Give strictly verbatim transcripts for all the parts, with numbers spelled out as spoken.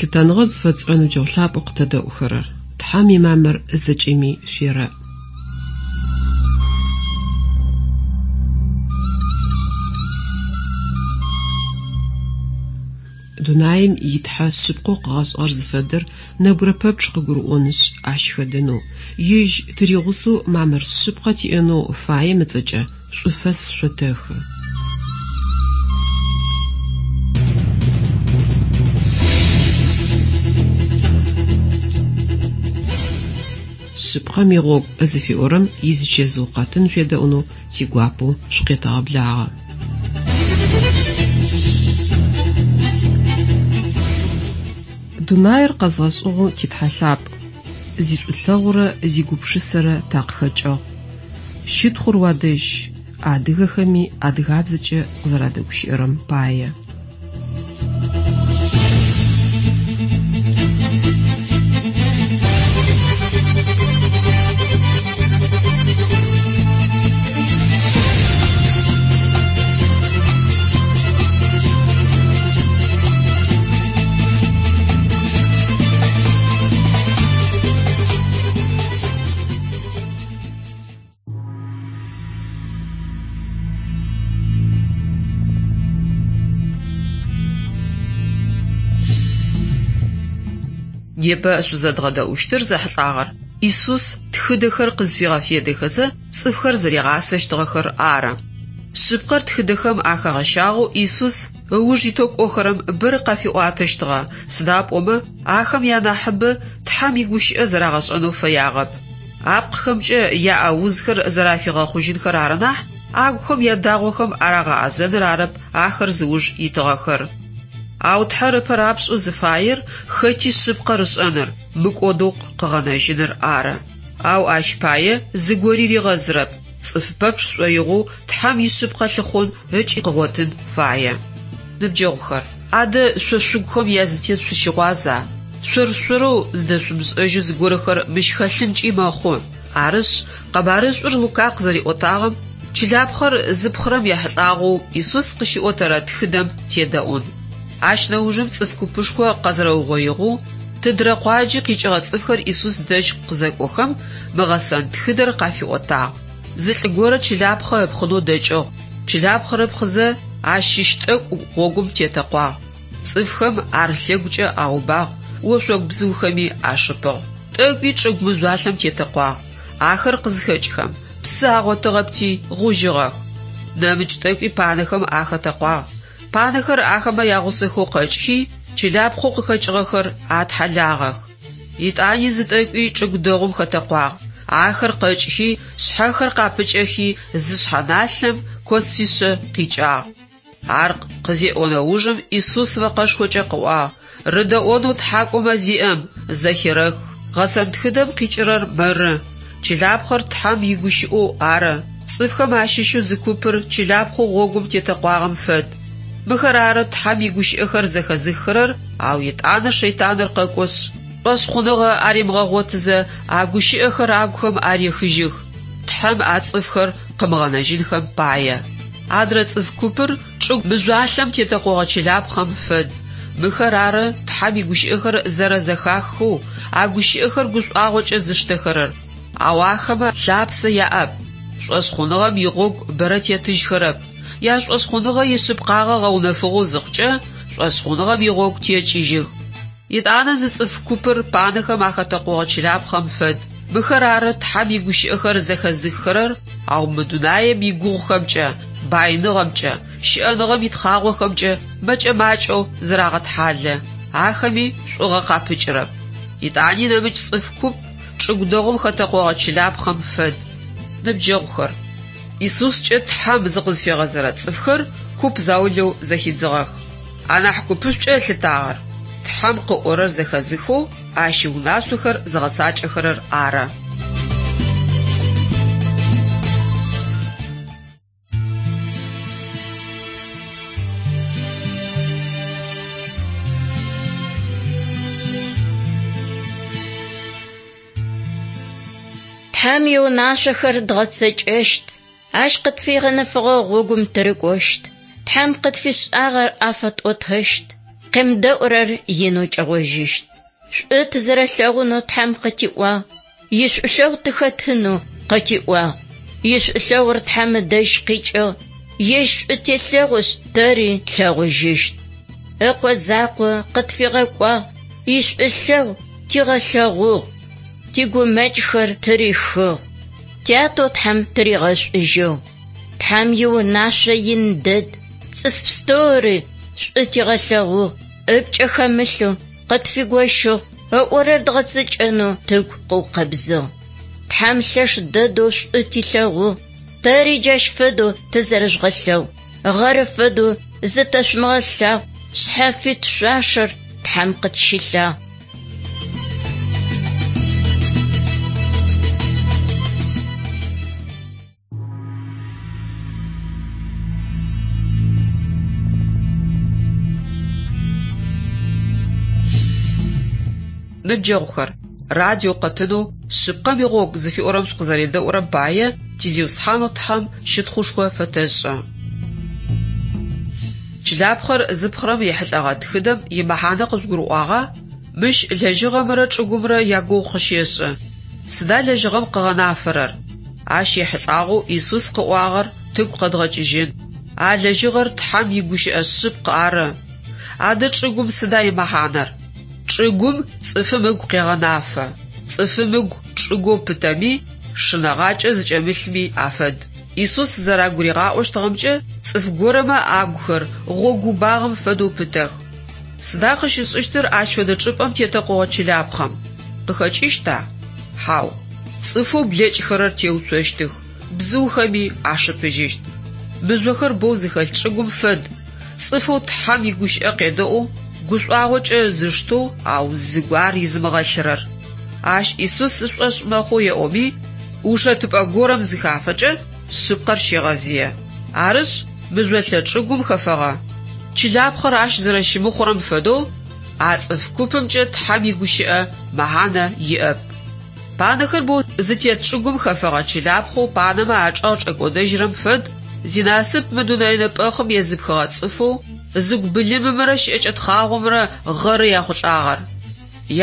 Лъытэныгъэ зыфэтшӏырэ ныбджэгъу лъапӏэу къытэдэӏухэрэр, Тхьэм имамыр зэкӏэми шъуерэӏ. Дунаим итхьэ шъыпкъэу къыгъэшӏыгъэр зыфэдэр нэбгырэ пэпчъ къыгурыӏонышъ, ащ хэдэнэу, ежь тыригъусэу мамыр шъыпкъэ тиӏэнэу фаем ыцӏэкӏэ шӏуфэс шъотэхы. Шъыпкъэм игъогу зыфиӏорэм изычэзыу къэтын шъуедэӏунэу тигуапэу шъукъетэгъэблагъэ. Дунаир къэзгъэшӏыгъэу титхьэ лъапӏ, зишӏулъэгъурэ зигупшысэрэ такъыхэкӏыгъ. Щытхъур уадэжь, адыгэхэми адыгабзэкӏэ къызэрадэгущыӏэрэм пае. Непэ шъузэдгъэдэӏущтыр зэхьылӏагъэр Исус тхыдэхэр къызфигъэфедэхэзэ цӏыфхэр зэригъасэщтыгъэхэр ары. Шъыпкъэр тхыдэхэм ахэгъэщагъэу Исус ыуж итэу кӏохэрэм бэрэ къафиӏуатэщтыгъэ, сыда пӏомэ ахэм янахьыбэ Тхьэм игущыӏэ зэрагъэшӏэнэу фэягъэп. Апкъхэмкӏэ яӏэ узхэр зэрафигъэхъужьынхэр ары нахь, агухэм ядагъохэм арагъэӏэзэныр арэп ахэр зыуж итыгъэхэр. Ау Тхьэр ыпэ рапшӏэу зыфаер хэти шъыпкъэр ышӏэныр, мыкӏодэу къыгъэнэжьыныр ары. Ау ащ пае зыгори ригъэзырэп, цӏыф пэпчъ шӏоигъоу Тхьэм ишъыпкъэ лъыхъун ыкӏи къыгъотын фае. Ныбджэгъухэр, адэ шъо шъугухэм язытет шъущыгъуаза? Шъор-шъорэу зыдэшъумышӏэжьэу зыгорэхэр мыщ хэлъынкӏи мэхъу. Арышъ, къэбарышӏур Лука къызэриӏотагъэм чылапхъэр зыпхъырэм ехьылӏагъэу Исус къыщиӏотэрэ тхыдэм тедэӏун. Ащ нэужым цӏыф купышхо къэзэрэугъоигъэу, тыдрэ къуаджи къикӏыгъэ цӏыфхэр Исус дэжь къызэкӏохэм, мы гъэсэн тхыдэр къафиӏотагъ. Зы лӏы горэ чылапхъэ ыпхъынэу дэкӏыгъ. Чылапхъэр ыпхъызэ, ащ щыщ тӏэкӏу гъогум тетэкъуагъ. Цӏыфхэм ар лъэгукӏэ аубагъ, ошъогу бзыухэми ашыпыгъ. Тӏэкӏуи чӏыгу мыжъуалъэм тетэкъуагъ. Ахэр къызхэкӏхэм, псы агъотыгъэпти гъужьыгъэх. Нэмыкӏ тӏэкӏуи панэхэм ахэтэкъуагъ. Панэхэр ахэмэ ягъусэхэу къэкӏхи, чылапхъэу къыхэкӏыгъэхэр атхьэлагъэх. Итӏани зы тӏэкӏуи чӏыгу дэгъум хэтэкъуагъ. Ахэр къэкӏхи, шъхьэхэр къапыкӏэхи, зы шъхьэналъэм коцишъэ къикӏагъ. Ар къызеӏо нэужым Исус мэкъэшхокӏэ къыӏуагъ: «Рыдэӏонэу тхьакӏумэ зиӏэм зэхерэх». Гъэсэн тхыдэм къикӏырэр мыры: чылапхъэр Тхьэм игущыӏэу ары. Цӏыфхэм ащыщэу зы купыр чылапхъэу гъогум тетэкъуагъэм фэд. Мыхэр ары Тхьэм игущыӏэхэр зэхэзыххэрэр, ау етӏанэ шэйтаныр къэкӏошъ, шӏошъхъуныгъэ аримыгъэгъотызэ а гущыӏэхэр агухэм арехыжьых, Тхьэм а цӏыфхэр къымыгъэнэжьынхэм пае. Адрэ цӏыф купыр чӏыгу мыжъуалъэм тетэкъогъэ чылапхъэм фэд. Мыхэр ары Тхьэм игущыӏэхэр зэрэзэхаххэу, а гущыӏэхэр гушӏуагъокӏэ зыштэхэрэр. Ау ахэмэ лъапсэ яӏэп. Шӏошъхъуныгъэм игъогу бэрэ тетыжьхэрэп. Яшӏошъхъуныгъэ ишъыпкъагъэ гъэунэфыгъэу зыхъукӏэ, шӏошъхъуныгъэм игъогу текӏыжьых. Етӏанэ зы цӏыф купыр панэхэм ахэтэкъогъэ чылапхъэм фэд. Мыхэр ары Тхьэм игущыӏэхэр зэхэзыххэрэр, ау мы дунаем игугъухэмкӏэ, байныгъэмкӏэ, щыӏэныгъэм итхъагъохэмкӏэ мэкӏэ-макӏэу зырагъэтхьалэ. Ахэми шӏугъэ къапыкӏырэп. Етӏани нэмыкӏ цӏыф куп чӏыгу дэгъум хэтэкъогъэ чылапхъэм фэд. Ныбджэгъухэр, Исускӏэ Тхьэм зыкъызфигъэзэрэ цӏыфхэр куп заулэу зэхидзыгъэх. Анахь купышӏукӏэ ылъытагъэр Тхьэм къыӏорэр зэхэзыхэу, ащ иунашъохэр зыгъэцакӏэхэрэр ары. Тхьэм иунашъохэр дгъэцэкӏэщт, ащ къытфигъэнэфыгъэ гъогум тырыкӏощт. Тхьэм къытфишӏагъэр афэтӏотэщт. Къемыдэӏурэр инэу кӏэгъожьыщт. Шӏу тызэрэлъэгъунэу Тхьэм къытиӏуагъ, ишӏулъэгъу тыхэтынэу къытиӏуагъ. Ишӏулъэгъур Тхьэм ыдэжь къикӏыгъ, ежь шӏу телъэгъушъ тэри тлъэгъужьыщт. Ыкъо закъо къытфигъэкӏуагъ, ишӏулъэгъу тигъэлъэгъугъ, тигумэкӏхэр тырихыгъ. Тятэу Тхьэм тыригъэшӏужьыгъ. Тхьэм иунашъо ин дэд, цӏыф пстэури шӏу тигъэлъэгъугъ, ыпкӏэ хэмылъэу къытфигощыгъ, ыӏорэр дгъэцэкӏэнэу тыгу къыукъэбзыгъ. Тхьэм лъэш дэдэу шӏу тилъэгъугъ, тэри джащ фэдэу тызэрэжъугъэлъэгъу, гъэры фэдэу зытэшъумыгъэлъагъу, шъхьафит шъуашэр Тхьэм къытщилъагъ. Ныбджэгъухэр, радио къэтынэу шъыпкъэм игъогу зыфиӏорэм шъукъызэредэӏурэм пае тизиусхьанэу Тхьэм щытхъушхо фэтэшӏы. Чылапхъэр зыпхъырэм ехьылӏэгъэ тхыдэм имэхьанэ къыжъугурыӏуагъа? Мыщ лэжьыгъэмрэ чӏыгумрэ ягугъу къыщешӏы. Сыда лэжьыгъэм къыгъэнафэрэр? Ащ ехьылӏагъэу Исус къыӏуагъэр тыгу къэдгъэкӏыжьын. А лэжьыгъэр Тхьэм игущыӏэ шъыпкъ ары. Адэ чӏыгум сыда имэхьанэр? Чӏыгум цӏыфым ыгу къегъэнафэ. Цӏыфым ыгу чӏыгоу пытэми, шынэгъакӏэ зыкӏэмылъми афэд. Исус зэрагуригъаӏощтыгъэмкӏэ цӏыф горэмэ агухэр гъогубагъэм фэдэу пытэх. Сыда къыщышӏыщтыр ащ фэдэ чӏыпӏэм тетэкъогъэ чылапхъэм? Къыхэкӏыщта? Хьау. Цӏыфэу блэкӏхэрэр теуцощтых, бзыухэми ашыпыжьыщт. Мыжъохэр боу зыхэлъ чӏыгум фэд. Цӏыфэу Тхьэм игущыӏэ къедэӏоу, гушӏуагъокӏэ зыштэу, ау зыгу ар изымыгъэлъырэр. Ащ Исус ышӏошъ мэхъу еӏоми, ушэтыпӏэ горэм зыхафэкӏэ шъыпкъэр щегъэзые. Арышъ, мыжъолъэ чӏыгум хэфэгъэ. Чылапхъэр ащ зэрэщымыхъурэм фэдэу, а цӏыф купымкӏэ Тхьэм игущыӏэ мэхьанэ иӏэп. Панэхэр боу зытет чӏыгум хэфэгъэ чылапхъэу панэмэ ачӏэгъ чӏэкӏодэжьырэм фэд, зинасып мы дунэе нэпӏэхъым езыпхыгъэ цӏыфэу, зыгу былымымрэ щыӏэкӏэ тхъагъомрэ гъэры яхъулӏагъэр.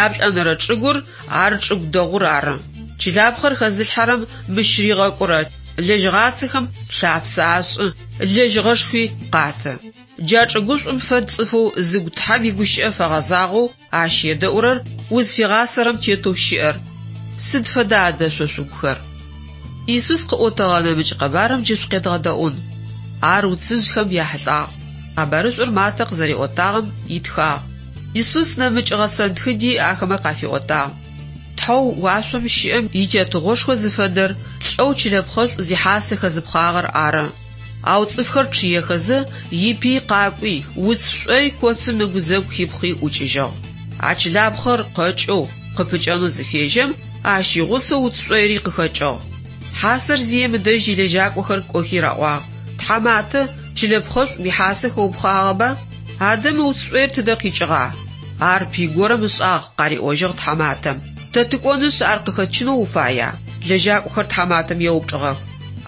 Яплӏэнэрэ чӏыгур ар чӏыгу дэгъур ары. Чылапхъэр хэзылъхьэрэм мыщ ригъэкӏурэ лэжьыгъацэхэм лъапсэ ашӏы, лэжьыгъэшхуи къаты. Джа чӏыгушӏум фэд цӏыфэу зыгу Тхьэм игущыӏэ фэгъэзагъэу ащ едэӏурэр узфигъасэрэм тетэу щыӏэр. Сыд фэда адэ шъо шъугухэр? Исус къыӏотэгъэ нэмыкӏ къэбарым джы шъукъедгъэдэӏун. Ар уцыжъхэм яхьылӏагъ. Къэбарышӏур Матэ къызэриӏотагъэм итхагъ. Исус нэмыкӏ гъэсэн тхыди ахэмэ къафиӏотагъ. Тхьэу уашъом щыӏэм итетыгъошхо зыфэдэр лӏэу чылэпхъэшӏу зихьасэ хэзыпхъагъэр ары. Ау цӏыфхэр чъыехэзэ ипый къакӏуи, уц шӏой коцым ыгузэгу хипхъи ӏукӏыжьыгъ. А чылапхъэр къэкӏэу, къыпыкӏэнэу зыфежьэм, ащ игъусэу уц шӏойри къыхэкӏыгъ. Хьасэр зием ыдэжь илэжьакӏохэр кӏохи раӏуагъ: «Тхьаматэ, чылэпхъэшӏу уихьасэ хэупхъагъэба? Адэ мы уц шӏоир тыдэ къикӏыгъа?» Ар пый горэм ышӏагъ, къариӏожьыгъ тхьаматэм. Тэ тыкӏонышъ ар къыхэтчынэу уфая? Лэжьакӏохэр тхьаматэм еупчӏыгъэх.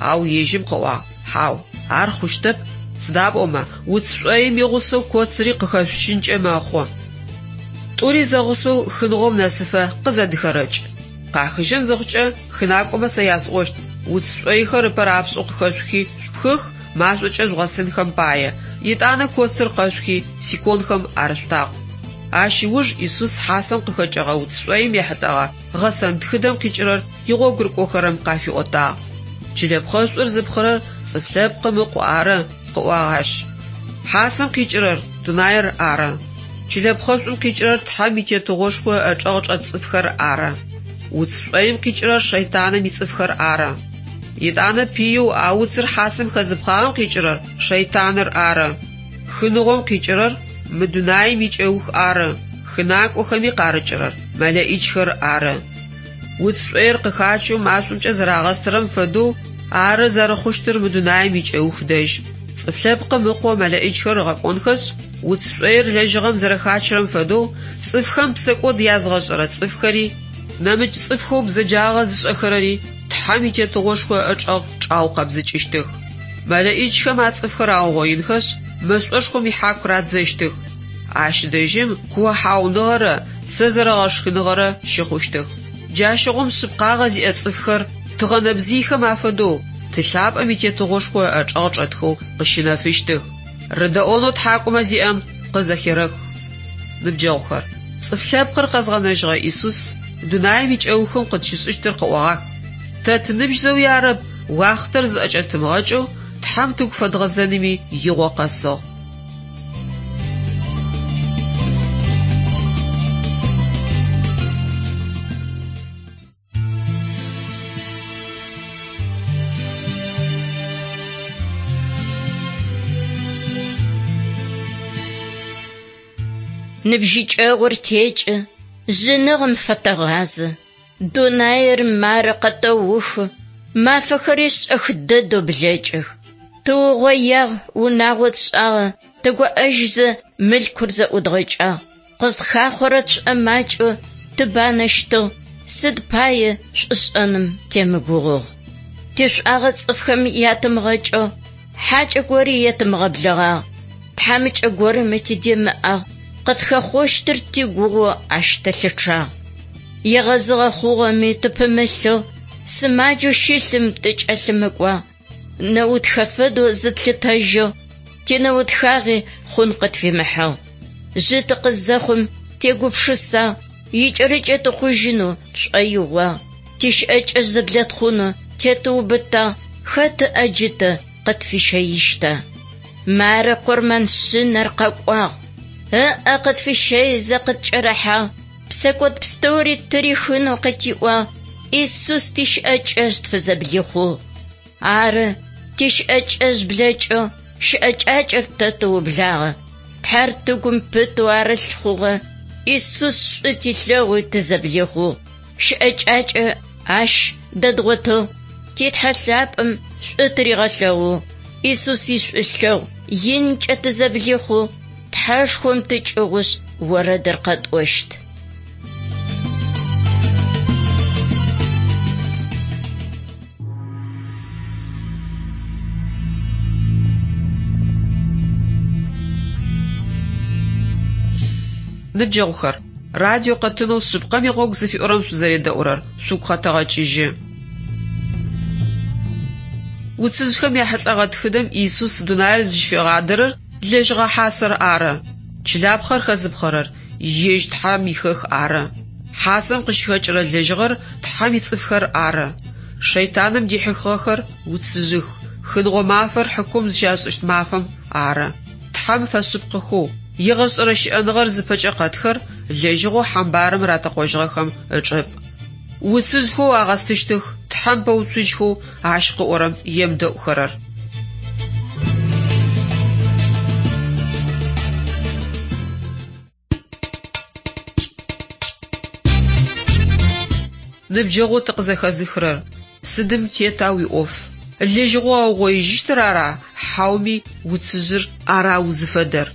Ау ежьым къыӏуагъ: «Хьау, ар хъущтэп, сыда пӏомэ уц шӏоим игъусэу коцыри къыхэшъучынкӏэ мэхъу. Тӏури зэгъусэу хыныгъом нэсыфэ къызэдыхэрэкӏ. Къахыжьын зыхъукӏэ хынакӏомэ сэ ясӏощт: уц шӏойхэр ыпэ рапшӏэу къыхэшъухи шъупхых, машӏокӏэ жъугъэстынхэм пае. Етӏанэ коцыр къэшъухи сиконхэм арышъутакъу». Ащ ыуж Исус хьасэм къыхэкӏыгъэ уц шӏоим ехьылӏэгъэ гъэсэн тхыдэм къикӏырэр игъогу рыкӏохэрэм къафиӏотагъ. Чылэпхъэшӏур зыпхъырэр цӏыф лъэпкъым ыкъу ары, къыӏуагъ ащ. Хьасэм къикӏырэр дунаир ары. Чылэпхъэшӏум къикӏырэр Тхьэм итетыгъошхо ыӏэчӏэгъ чӏэт цӏыфхэр ары. Уц шӏоим къикӏырэр шэйтаным ицӏыфхэр ары. Етӏанэ пыеу а уцыр хьасэм хэзыпхъагъэм къикӏырэр шэйтаныр ары. Хыныгъом къикӏырэр мы дунаим икӏэух ары. Хынакӏохэми къарыкӏырэр мэлэӏичхэр ары. Уц шӏоир къыхачэу машӏомкӏэ зэрагъэстырэм фэдэу ары зэрэхъущтыр мы дунаим икӏэух дэжь. Цӏыф лъэпкъым ыкъо мэлэӏичхэр ыгъэкӏонхэшъ, уц шӏоир лэжьыгъэм зэрэхачырэм фэдэу цӏыфхэм псэкӏод язгъэшӏэрэ цӏыфхэри, нэмыкӏ цӏыфхэу бзэджагъэ зышӏэхэрэри Тхьэм итетыгъошхо ыӏэчӏэгъ чӏаукъэбзыкӏыщтых. Мэлэӏичхэм а цӏыфхэр аугъоинхэшъ, мэшӏошхом ихьаку радзэщтых. Ащ дэжьым куохьауныгъэрэ цэ зэрэгъэшхыныгъэрэ щыхъущтых. Джащыгъум шъыпкъагъэ зиӏэ цӏыфхэр тыгъэ нэбзыйхэм афэдэу Ты лъапӏэм итетыгъошхо ыӏэчӏэгъ чӏэтхэу къыщынэфыщтых. Рыдэӏонэу тхьакӏумэ зиӏэм къызэхерэх. Ныбджэгъухэр, цӏыф лъэпкъыр къэзгъэнэжьыгъэ Исус дунаим икӏэухым къытщышӏыщтыр къыӏогъах. Тэ тыныбжь зэуи арэп, уахътэр зыӏэкӏэтымыгъэкӏэу Тхьэм тыгу фэдгъэзэными игъо къэсыгъ. Ныбжьыкӏэгъур текӏы, жъыныгъэм фэтэгъазэ. Дунаир мары къэтэухы, мафэхэри шӏэх дэдэу блэкӏых. Тыугъоягъ, унагъо тшӏагъэ, тыгоӏэжьзэ мылъкур зэӏудгъэкӏагъ. Къытхахъорэ тшӏомакӏэу тыбанэщтыгъ, сыд пае шӏушӏэным темыгугъугъ. Тишӏуагъэ цӏыфхэм ятымыгъэкӏэу, хьакӏэ гори етымыгъэблэгъагъ. Тхьамыкӏэ горэм тыдемыӏагъ, къытхэхъощтыр тигугъу ащ тэлъычъагъ. Егъэзыгъэ хъугъэми тыпымылъэу, сымаджэу щылъым тыкӏэлъымыкӏуагъ. Нэутхэ фэдэу зытлъытэжьэу, тинэутхагъи хъун къытфимыхьыгъ. Жъы тыкъызэхъум тегупшысагъ, икӏэрыкӏэ тыхъужьынэу тшӏоигъуагъ. Тищыӏэкӏэ зэблэтхъунэу тетыубытагъ, хэт ыӏэджытэ къытфищэищта? Мары къурмэн шъынэр къэкӏуагъ. Ыӏэ къытфищэизэ къыткӏэрыхьагъ, псэкӏод пстэури тырихынэу къытиӏуагъ, Исус тищыӏэкӏэжъ тфызэблихъугъ. Ары, тищыӏэкӏэжъ блэкӏэу, щыӏэкӏакӏэр тэ тыублагъэ. Тхьэр тыгум пытэу арылъ хъугъэ, Исус шӏу тилъэгъуи тызэблихъугъ. Щыӏэкӏакӏэ ащ дэдгъотыгъ, титхьэ лъапӏэм шӏу тыригъэлъэгъугъ. Исус ишӏулъэгъу инкӏэ тызэблихъугъ, Тхьэшхом тыкӏыгъушъ орэдыр къэтӏощт. Ныбджэгъухэр, радио къэтынэу шъыпкъэм игъогу зыфиӏорэм шъузэредэӏурэр шъугу къэтэгъэкӏыжьы. Уцыжъхэм яхьылӏэгъэ тхыдэм Исус дунаир зыщыфигъадэрэр лэжьыгъэ хьасэр ары. Чылапхъэр хэзыпхъэрэр ежь Тхьэм ихэх ары. Хьасэм къыщыхэкӏырэ лэжьыгъэр Тхьэм ицӏыфхэр ары. Шэйтаным дихьыхыгъэхэр уцыжъых. Хыныгъо мафэр хьыкум зыщашӏыщт мафэм ары. Тхьэм фэшъыпкъэхэу, егъэшӏэрэ щыӏэныгъэр зыпэкӏэ къэтхэр лэжьыгъэу хьамбарым ратэкъожьыгъэхэм ычӏыпӏ. Уцыжъхэу агъэстыщтых, Тхьэм пэуцужьхэу ащ къыӏорэм емыдэӏухэрэр. Ныбджэгъоу тыкъызэхэзыхырэр, сыдым тета уиӏоф? Лэжьыгъэу аугъоижьыщтыр ара, хьауми уцыжъыр ара узыфэдэр?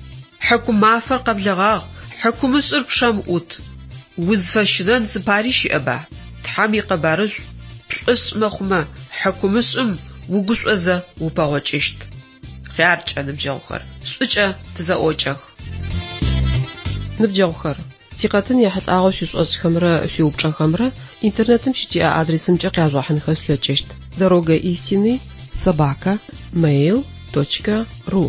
Хьыкум мафэр къэблэгъагъ, хьыкумышӏыр пчъэм ӏут. Узфэщынэн зыпари щыӏэба? Тхьэм икъэбарышӏу пшӏошъ мэхъумэ, хьыкумышӏым угушӏозэ упэгъокӏыщт. Хъяркӏэ, ныбджэгъухэр, шӏукӏэ тызэӏокӏэх. Ныбджэгъухэр, тикъэтын ехьылӏагъэу шъуишӏошӏхэмрэ шъуиупчӏэхэмрэ интернетым щытиӏэ адресымкӏэ къяжъугъэхьынхэ шъулъэкӏыщт: дорога истины собака mail точка ру.